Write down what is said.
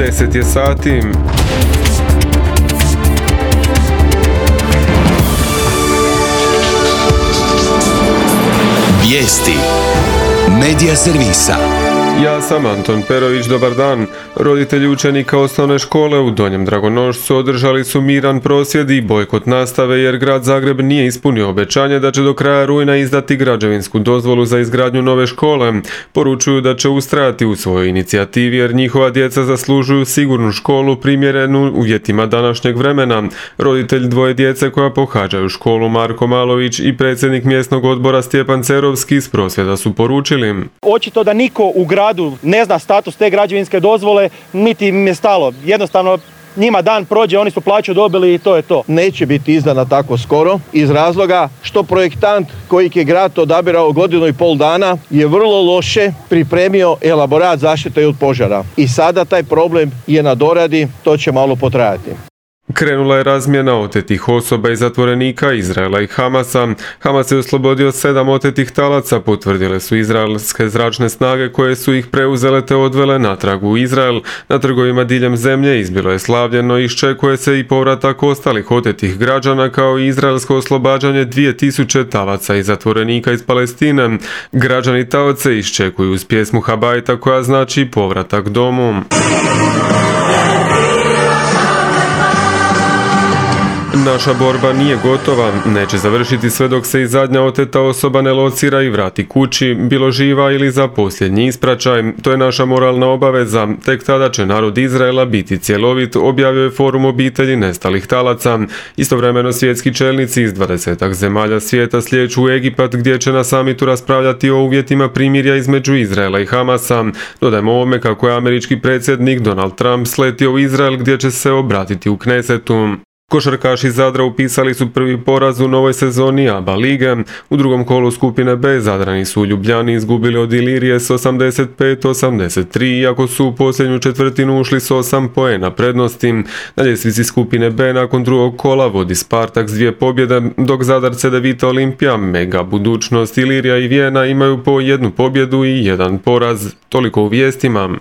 10 je sati. Vijesti Medija servisa. Ja sam Anton Perović, dobar dan. Roditelji učenika osnovne škole u Donjem Dragonošcu održali su miran prosvjed i bojkot nastave jer grad Zagreb nije ispunio obećanje da će do kraja rujna izdati građevinsku dozvolu za izgradnju nove škole. Poručuju da će ustrajati u svojoj inicijativi jer njihova djeca zaslužuju sigurnu školu primjerenu uvjetima današnjeg vremena. Roditelj dvoje djece koja pohađaju školu Marko Malović i predsjednik mjesnog odbora Stjepan Cerovski s prosvjeda su poručili: očito da niko u gradu ne zna status te građevinske dozvole, niti im je stalo. Jednostavno njima dan prođe, oni su plaću dobili i to je to. Neće biti izdana tako skoro iz razloga što projektant kojeg je grad odabirao 1,5 godina je vrlo loše pripremio elaborat zaštite od požara. I sada taj problem je na doradi, to će malo potrajati. Krenula je razmjena otetih osoba i zatvorenika Izraela i Hamasa. Hamas je oslobodio 7 otetih talaca, potvrdile su izraelske zračne snage koje su ih preuzele te odvele natrag u Izrael. Na trgovima diljem zemlje izbilo je slavljeno i iščekuje se i povratak ostalih otetih građana kao i izraelsko oslobađanje 2000 talaca i zatvorenika iz Palestine. Građani taoce iščekuju uz pjesmu Habajta koja znači povratak domu. Naša borba nije gotova, neće završiti sve dok se i zadnja oteta osoba ne locira i vrati kući, bilo živa ili za posljednji ispraćaj. To je naša moralna obaveza, tek tada će narod Izraela biti cjelovit, objavio je Forum obitelji nestalih talaca. Istovremeno svjetski čelnici iz 20 zemalja svijeta slijeću u Egipat gdje će na samitu raspravljati o uvjetima primirja između Izraela i Hamasa. Dodajmo ovome kako je američki predsjednik Donald Trump sletio u Izrael gdje će se obratiti u Knesetu. Košarkaši Zadra upisali su prvi poraz u novoj sezoni ABA lige. U drugom kolu skupine B Zadrani su u Ljubljani izgubili od Ilirije s 85-83, iako su u posljednju četvrtinu ušli s 8 poena prednosti. Na ljestvici skupine B nakon drugog kola vodi Spartak s 2 pobjede, dok Zadar, Cedevita, Olimpija, Mega, Budućnost, Ilirija i Vijena imaju po 1 pobjedu i 1 poraz. Toliko u vijestima.